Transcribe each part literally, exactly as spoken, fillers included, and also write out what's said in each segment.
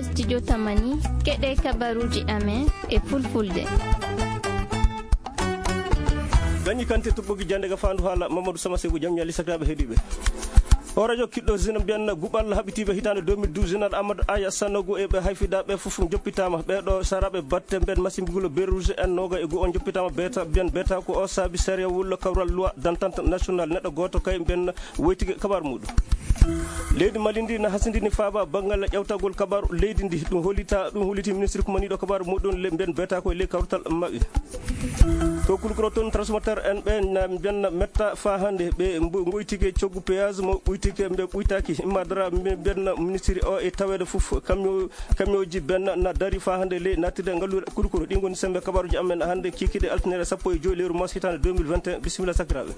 Studio Tamani, keɗe kabaruji amen e fulfulde. Gañi kante toɓɓogi jande ga fandu hala Mamadou Sama Segu, jam ñali sakiraɓe heɗiɓe. O radio kiɗɗo zina mbiyan guɓal haɓitiɓe hitande deux mille douze, zinal Amadou Aya Sanogo e ɓe hayfidaɓe fof joppitama. Ɓeɗo saraɓe batte mbiyan masimbigulo Berrouge en noga e go on joppitama beta mbiyan beta ko o saabi sariya wullo kawral loi d'entente national neɗɗo goto kay mbiyan woytike kabar muɗum. Leydi Mali ndi na hasindini faaba banngal ƴawtagol kabaaru leydi ndi. Ɗum hollita, ɗum holliti ministre kumaniiɗo kabaaru muɗum le, mbiyen beeta ko e ley kawtal maɓɓe. To Kulkuro toon, transformateur en ɓe na mbiyan metta faa hannde ɓe mbo-, ngoytike coggu péage mo ɓuytike mbe ɓuytaki. Imma dara mbe mbiyan ministre o e taweede fof camion, camion ji ben na dari faa hannde ley nattirde ngalluure Kulkuro. Ɗi ngoni sembe kabaaruji amen hannde kikiɗe altine sappo e joy lewru mars hitaande deux mille vingt et un. Bisimilla sakiraaɓe.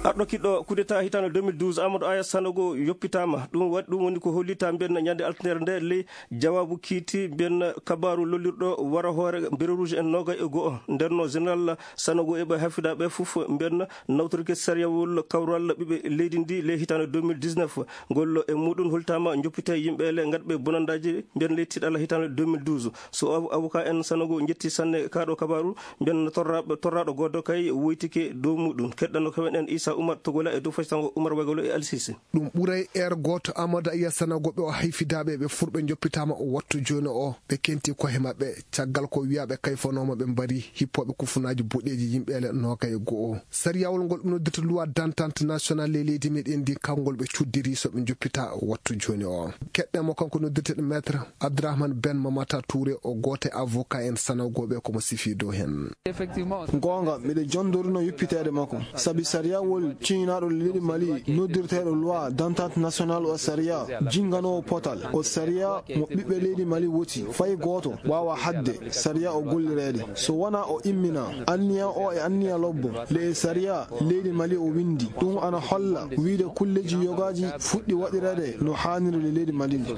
Arɗo kiɗɗo coup d'État hitaande deux mille douze, Amadou Aya Sanogo yoppitaama. Ɗum waɗi, ɗum woni ko hollita mbiyen ñande altine nde ley jawaabu kiiti mbiyen kabaaru lollirɗo wara hoore Berrouge en noogay e go'o. Nder no Général Sanogo e ɓe hafidaaɓe fof mbiyen nawtorki sariyawol kawral ɓiɓɓe leydi ndi ley hitaande deux mille dix-neuf. Ngol e muɗum holtaama joppite yimɓe le ngatɓe bonandaaji mbiyen ley tiɗala hitaande deux mille douze. So av-, avocat en Sanogo njetti sanne kaaɗo kabaaru, mbiyen torraɓe, torraɗo goto kay woytike dow muɗum. Keɗɗano ko men en Issa Oumar Togola e dow faysango Oumar Wagolo e Alsisi. Ɗum ɓuray heure goto Amadou Aya Sanogo ɓe o hayfidaɓe ɓe furɓe joppitama o wattu joni o ɓe kenti kohe maɓɓe caggal ko wiyaɓe kayfanoma ɓe mbari hippoɓe kufunaji boɗeji yimɓe ele noka e go'o. Sariyawol ngol ɗum noddirta loi d'entente nationale e leydi meɗen ndi, kanngol ɓe cuddiri so ɓe joppita wattu jooni o. Keɗɗe mo kanko noddirteɗo maître Abdourahmane Ben Mamata Touré, o gooto e avocat en sanogoɓe ko mo sifi dow hen. Goonga, miɗo jondorino yuppiteede makko, sabi sariyawol ciñinaaɗo leydi Mali noddirteeɗo loi d'entente nationale o sariya jinnganowo potal, o sariya mo ɓiɓɓe leydi Mali woti, fay gooto waawa haɗde sariya o gollireede. So wonaa o immina anniya o e anniya lobbo, le e sariya leydi Mali o winndi. Ɗum ana holla wiyde kulleeji yogaaji fuɗɗi waɗireede no haaniri le leydi Mali ndi.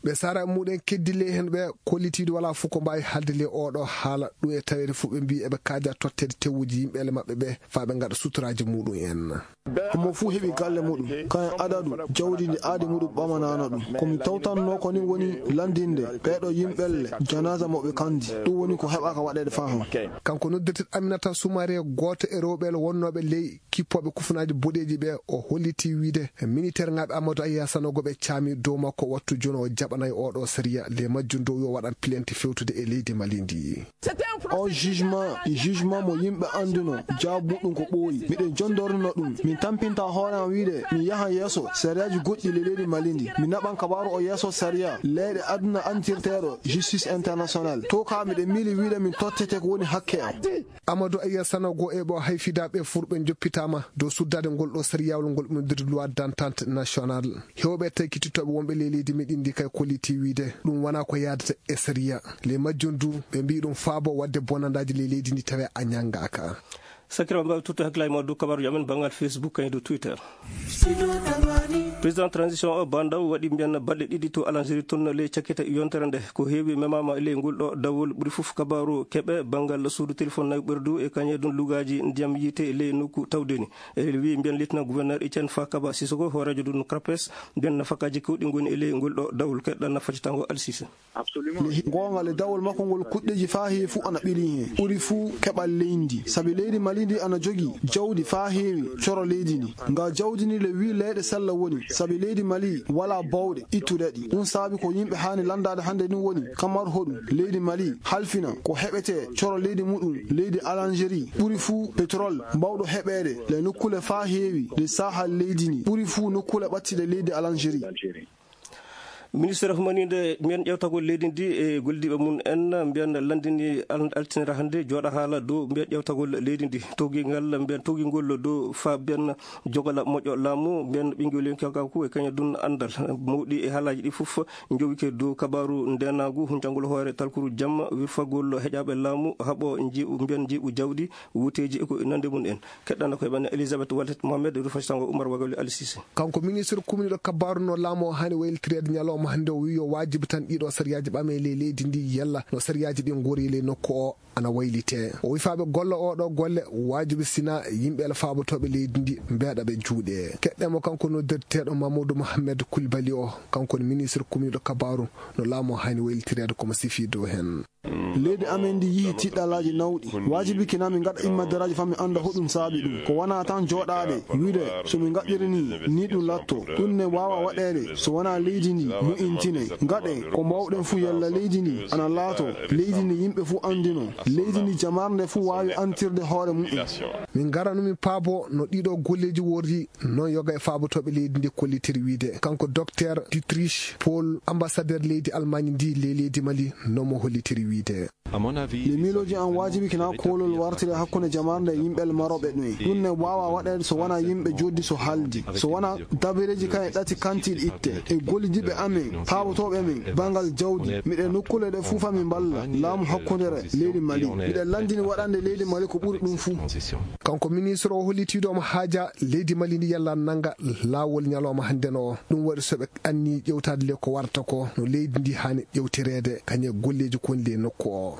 Ɓe sara muɗen keddi ley hen ɓe kollitiiɗo wala fof ko mbaawi haalde ley oɗo haala ɗum e taweede fof ɓe mbi eɓe kaaja totteede tewuji yimɓe ele maɓɓe ɓe faa ɓe ngaɗa suturaaji muɗum en. Homo fuu heɓi galle muɗum, kayen adadu jawdi ndi aadi muɗum ɓamanaano ɗum. Ko mi tawtanno ko ni woni lanndinde ɓeeɗo yimɓelle janaaza mo ɓe kandi. Ɗum woni ko heɓaaka waɗeede faa hon. Kanko noddirteɗo Aminata Soumaré, gooto e rewɓe wonnooɓe ley kippooɓe kufunaaji boɗeeji ɓe, o holliti wiide miniteerŋaaɓe Amadou Aya Sanogo ɓe caami dow makko wattu jooni o jaɓanay oɗo sariya ley majjum dow yo waɗan plainte fewtude e leydi Mali ndi. O jugement, jugement mo yimɓe annduno, jaabu muɗum ko ɓooyi. Miɗen jondorino ɗum. Min tampinta hoore am wiide mi yahan yeeso sariyaaji goɗɗi le leydi Mali ndi. Mi naɓan kabaaru o yeeso sariya leyɗe aduna antirteeɗo justice international. To ka miɗen miili wiide min tottete ko woni hakke am. Amadou Aya Sanogo e ɓo hayfidaɓe furɓe joppitama dow suddade ngol ɗo sariyawol ngol ɗum nder loi d'entente nationale. Hewɓe tawi kittittoɓe wonɓe ley leydi meɗen ndi kay kolliti wiide ɗum wona ko yaadata e sariya. Ley majjum du ɓe mbi ɗum faabo wadde bonandaji ley leydi ndi tawe a ñangaka. Sakira mbawi tutto hakkilaaji ma dow kabaruji amen banngal Facebook kañum dow Twitter. Président transition o Bandaw waɗi mbiyan balɗe ɗiɗi to Algérie toon ley cakkita yontere nde. Ko heewi memama ley ngol ɗo dawol ɓuri fof kabaru keɓe banngal suudu téléphone nawi ɓerdu e kañe ɗum lugaaji ndiyam yiite ley nokku tawdeni. E wi mbiyan lieutenant gouverneur Etienne Fakaba Sissoko hooreejo ɗum CRAPES mbiyan nafakaaji kewɗi ngoni e ley ngol ɗo dawol keɗɗa nafaji tango Alsise. Goonga le dawol makko ngol kuɗɗeji faa heewi fof ana ɓili heen. Ɓuri fof keɓal leydi ndi. Sabi leydi Mali ndi ana jogii jawdi faa heewi coro leydi ndi. Nga jawdi ndi le wii leyɗe sella woni. Sabi leydi Mali walaa bawɗe ittude ɗi. Ɗum saabi ko yimɓe haani lanndaade hannde ɗum woni kamar hoɗum leydi Mali halfina ko heɓetee coro leydi muɗum leydi Algérie. Ɓuri fof pétrole mbawɗo heɓeede le nokkule faa heewi le saahal leydi ndi. Ɓuri fof nokkule ɓattiɗe leydi Algérie. Ministre humaninde mbiyen ƴewtagol leydi ndi e gollidiiɓe mum en mbiyen lanndini al-, altinere hannde jooɗa haala dow mbiyen ƴewtagol leydi ndi. Towgingal mbiyen towgingol dow fa mbiyen jogala moƴƴo laamu mbiyen ɓinngel yonki kanko e kañum ɗum anndal mawɗi e haalaaji ɗi fof njowike dow kabaaru ndenaagu, huncangol hoore talkuru jamma, wirfagol heƴaaɓe laamu, haɓo njiiɓu mbiyen njiiɓu jawɗi, wuuteeji e ko nande mum en. Keɗɗana koye men Elisabeth Wallet Mohamed, Rufai Sango, Oumar Wagali, Ali Cissé. Kanko ministre kumniɗo kabaaru no laamu o haani waylitireede ñalawma hannde o wiyi yo waajibi tan ɗiɗo sariyaaji ɓame ley leydi ndi yalla no sariyaaji ɗi ngori ley nokku o. ana waylitee. O wi faa ɓe golla oo ɗoo golle, waajibi sinaa yimɓe ala faabotooɓe leydi ndi mbeeɗa ɓe juuɗe. Keɗɗen mo kanko noddirteeɗo Mamadou Mohamed Koulibaly o, kanko woni ministre kumiiɗo kabaaru no laamu o haani waylitireede ko mo sifii dow heen. Leydi amen ndi yihi tiɗɗalaaji nawɗi. Waajibi kina min ngaɗa immadaraaji faa min annda hoɗum saabi ɗum. Ko wonaa tan jooɗaade, wiide so min ngaɗiri ni, ni ɗum latto. Ɗum ne waawa waɗeede so wonaa leydi ndi mu'intine. Ngaɗe ko mbaawɗen fuu yalla leydi ndi ana laato. Leydi ndi yimɓe fuu anndino. Leydi ndi jamarnde fuu waawi antirde hoore mumen. Min ngara no min paabo no ɗiɗo golleeji worri, noon yoga e faabotooɓe leydi ndi kollitiri wiide. Kanko Docteur Dietrich Paul, ambassadeur leydi Almaañ ndi ley leydi Mali, no mo hollitiri wiide. Nde miilooji an waajibi kina koolol wartire hakkunde jamaarnde e yimɓe marooɓe ɗum. Ɗum ne waawa waɗeede so wonaa yimɓe joddi so haldi. So wonaa dabireeji kan e ɗati kantiiɗi itte. E gollidiiɓe amen, paabotooɓe men, banngal jawdi. Miɗe nokkuule ɗe fuu faa min mballa laamu hakkundere leydi Mali. Miɗe lanndini waɗande leydi Mali ko ɓuri ɗum fuu. Kanko ministre o hollitiiɗo omo haaja leydi Mali ndi yalla nannga laawol ñalawma hannden o. Ɗum waɗi so ɓe anni ƴewtaade le ko warata ko no leydi ndi haani ƴewtireede kañe golleeji kon le nokku o.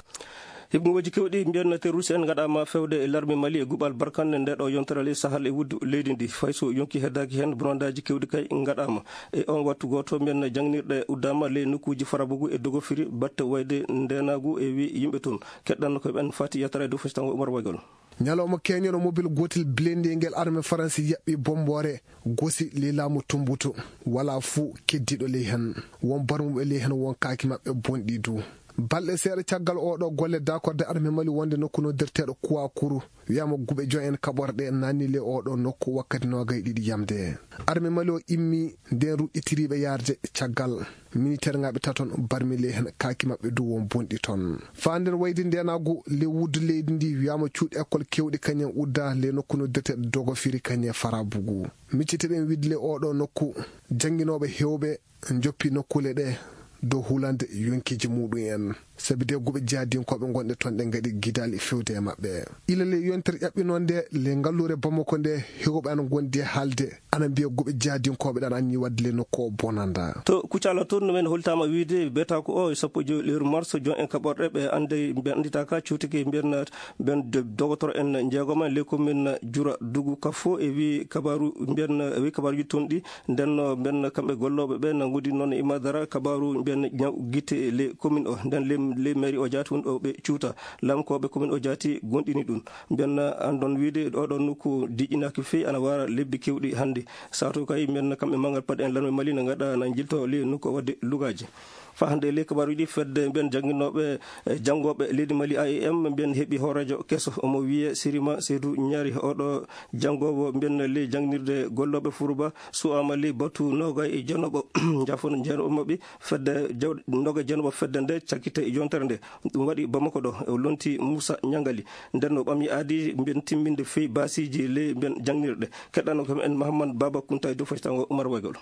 Himɓe ngooji kewɗi mbiyanno terroriste en ngaɗaama fewde e larme Mali e guɓal barkanɗe nde ɗo yontere ley Sahel e wuddu leydi ndi. Fay so yonki heddaaki heen, bonandaaji kewɗi kay ngaɗaama. E on wattu gooto mbiyanno jangnirɗe uddaama ley nokkuuji Farabugu e Dogofiri batte wayde ndeenaagu e wi yimɓe toon. Keɗɗanno ko ɓen fati yettere dow fesitango Umar Waygol. Ñalawma keñono mobil gootel blindé ngel arme Faransi yaɓɓi bomboore gosi ley laamu Tumbutu. Walaa fuu keddiiɗo ley heen. Won barmuɓe ley heen, won kaaki maɓɓe bonɗi du. Balɗe seeɗa caggal oo ɗoo golle, daakorde arme Mali wonde nokku noddirteeɗo Kuwakuru, wiyaama guɓe joy en kaɓorɗe naanni ley oo ɗoo nokku wakkati noogay ɗiɗi yamde. Arme Mali o immi nden ruɗɗitiriiɓe yaarde caggal. Miniteerŋaaɓe taton barmi ley heen, kaaki maɓɓe du won bonɗi toon. Faa nden wayde ndeenaagu ley wuddu leydi ndi, wiyaama cuuɗi ekkol kewɗi kañen udda ley nokku noddirteeɗo Dogofiri kañe Farabugu. Miccite ɗen wiide ley oo ɗoo nokku, jannginooɓe heewɓe njoppi nokkuule ɗe dow hulande yonkiiji muɗum en. Sabi de guɓe jihadinkooɓe gonɗe toon ɗe ngaɗi gidaali fewde e maɓɓe. Ila ley yontere ƴaɓɓinoonde ley ngalluure Bamako nde, heewɓe ana ngondi e haalde, ana mbiya guɓe jihadinkooɓe ɗan anni waɗde ley nokku o bonanda. To Kucala toon, no men holtaama wiide beetaako o e sappo e joy lewru mars, jon en kaɓorɗe ɓe annday, ɓe annditaaka cuutike mbiyan ɓen do-, dogotoro en njeegoma ley commune Jura Dugu Kafo e wi kabaaru mbiyan, e wi kabaaruuji toon ɗi. Nden no ɓen kamɓe gollooɓe ɓe nanngude noon e Madara kabaaru ɓen ñaw gite ley commune o. Nden ley, ley mairie o jaati woni ɗo ɓe cuuta. Laamkooɓe commune o jaati gonɗini ɗum. Ɓen anndon wiide ɗo ɗon nokku diƴƴinaaki feewi, ana wara lebbi kewɗi hannde. Sato kay ɓen kamɓe manngal paɗe en lanwe Mali na ngaɗa na jilto ley nokku o waɗde lugaaji. Faa hannde ley kabaaruuji fedde ɓen jannginooɓe, eh, janngooɓe leydi Mali A E M ɓen heɓi hooreejo keso. Omo wiyee Sirima Seydou Ñaari, oɗo janngoowo ɓen ley janngirde gollooɓe Furuba. Su'aama ley batu noogay e jeenooɓo, jafon jeenooɓo maɓɓe fedde jaw-, noogay jeenooɓo fedde nde cakkite e yontere nde. Ɗum waɗi Bamako ɗo, o lonti Muusa Ñangali. Nden o ɓami aadi mbiyen timminde fey baasiiji ley mbiyen jannginirɗe. Keɗɗano kam en Mahamman Baba Kunta e dow faytango Umar Waygol.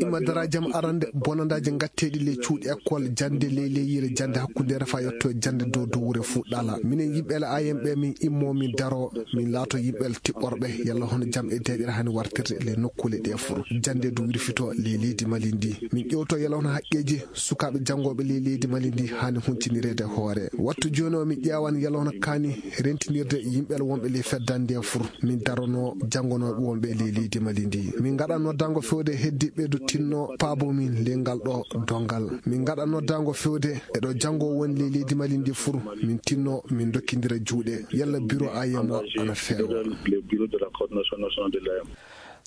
Imma darajam arande bonandaaji ngatteeɗi ley cuuɗi école, jannde ley leyyiire, jannde hakkundeere faa yetto jannde dow dowre fuɗɗala. Minen yimɓe la A M ɓe min immo min daro. Min laato yimɓe tiɓɓorɓe, yalla hono jam e deeƴere hani wartirde le nokkuule ɗe fur. Jannde du wirfito le leydi Mali ndi. Min ƴewto yalla hono haqqeeji sukaaɓe janngooɓe le leydi Mali ndi hani huntinireede hoore. Wattu jooni o min ƴeewan yalla hono kaani rentinirde yimɓe wonɓe le feddande fur. Min darono janngonooɓe wonɓe le leydi Mali ndi. Min ngaɗa noddango fewde heddiɓɓe du tinno paabo min le ngal ɗo donngal. Min ngaɗa noddango fewde e ɗo janngo woni le leydi Mali ndi fur. Min tinno min dokkindira juuɗe. Yalla biro A M o ana feewa.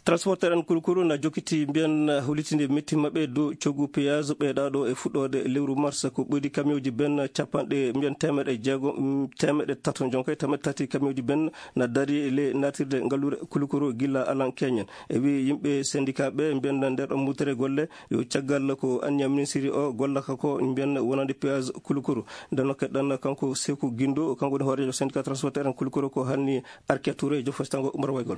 Transporteur en kurkuru na jokkiti mbiyen hulitinde metti maɓɓe dow coggu péage ɓeyɗaɗo e fuɗɗode lewru mars. Ko ɓuri kamioji ben capanɗe mbiyen temeɗe jeego, mm, temeɗe tato, jonkay temeɗe tati kamioji ben na dari le natirde ngallure kulukuru gilla alan keñen. E wi yimɓe syndicat ɓe mbiyen nder ɗo mutere golle yo caggal ko anniya ministiri o gollaka ko mbiyen wonande péage kulukuru. Nden no keɗɗan kanko Seku Gindo, kanko woni hoorejo syndicat transporteur en kulukuru ko hanni Arke Touré, jofo tango Umar Waygol.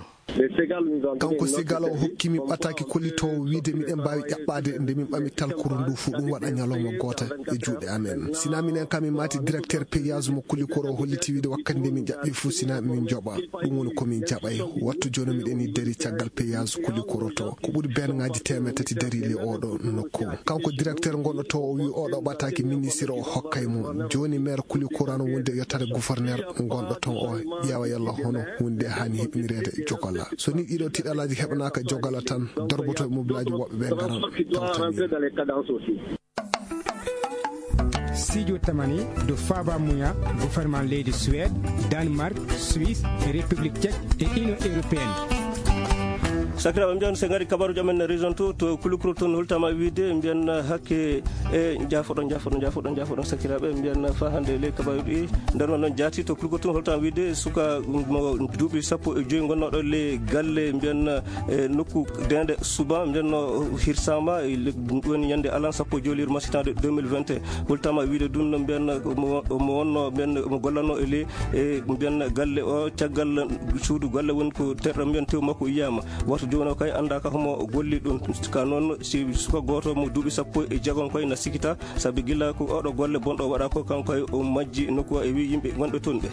Kanko Sigala o hokki min ɓataaki kollitoowo wiyde miɗen mbaawi ƴaɓɓaade nde min ɓami talkuru ndu fuu ɗum waɗa ñalawma gooto e juuɗe amen. Sinaa minen kam min maati directeur payage mo Kulikoro o holliti wiyde wakkati nde min ƴaɓɓi fuu sinaa min njoɓa. Ɗum woni ko min jaɓay. Wattu jooni miɗen ni dari caggal payage Kulikoro to. Ko ɓuri beenŋaaji teemeɗɗe tati dari le oɗo nokku. Kanko directeur gonɗo to o wi oɗo ɓataaki ministre o hokkay mo. Jooni maire Kulikoro no wonde yottare gouverneur gonɗo ton o ƴeewa yalla hono hunde hani heɓinireede jogala. So ni ɗiɗo tiɗalaaji heɓanaaka jogala tan, dorboto e mobilaaji woɓɓe ɓe ngaran tawtani. Studio Tamani do Faba Muya, gouvernement leydi Suède, Danemark, Suisse, République Tchèque et Union Européenne. Sakiraaɓe, mbiyan so ngari kabaruuji amen région to, to Kulikoro toon, holtama wiide, mbiyan hakke e jaafoɗon, jaafoɗon, jaafoɗon, jaafoɗon sakiraaɓe, mbiyan fa hannde le kabaruuji ɗi. Nder noon jaati to Kulikoro toon, holtama wiide suka mo duuɓi sappo e joyi gonnooɗo le galle, mbiyan e nokku Dende Suba, mbiyan no hirsama, e le-, ɗum woni ñande alan sappo e joyi lewru masitaade deux mille vingt et un. Holtama wiide ɗum no mbiyan mo, mo wonno mbiyan mo gollanno e le, e mbiyan galle o, caggal suudu galle woni ko terɗo mbiyan tew makko yiyama. Wattu jooni o kay annda ka homo golli ɗum. Ka noon si suka gooto mo duuɓi sappo e jeegom koy na sikita, sabi gila ko oɗo golle bonɗo waɗa ko kanko kay o majji nokku o e wi yimɓe wonɓe toon ɓe.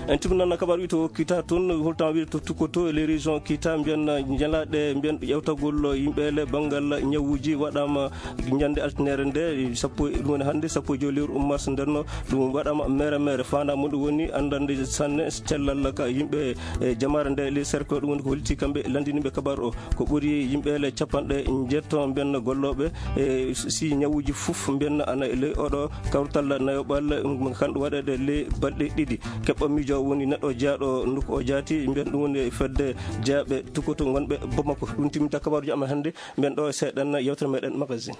En timminan kabaru wi to Kita toon, holtan wi to Tukoto e les régions Kita mbiyan ñalaɗe mbiyan ƴewtagol yimɓe le banngal ñawuji waɗama ñande altinere nde, sappo, ɗum woni hannde sappo e joyi lewru mars nder no ɗum waɗama mere mere. Fanda mum ɗum woni andande sanne cellal ka yimɓe e jamaare nde le cercle, ɗum woni ko holti kamɓe landiniɓe kabaru o. Ko ɓuri yimɓe le capanɗe njeetto mbiyan gollooɓe e si ñawuji fof mbiyan ana e ley oɗo kawtal nayoɓal, um, kanɗo waɗeede ley balɗe ɗiɗi. Keɓɓo miijo woni neɗɗo jaaɗo nokku o jaati, mbiyan ɗum woni fedde jaaɓe Tukoto ngonɓe Bamako. Ɗum timminta kabaruuji amen hannde, mbiyan ɗo e seeɗan yewtere meɗen magazine.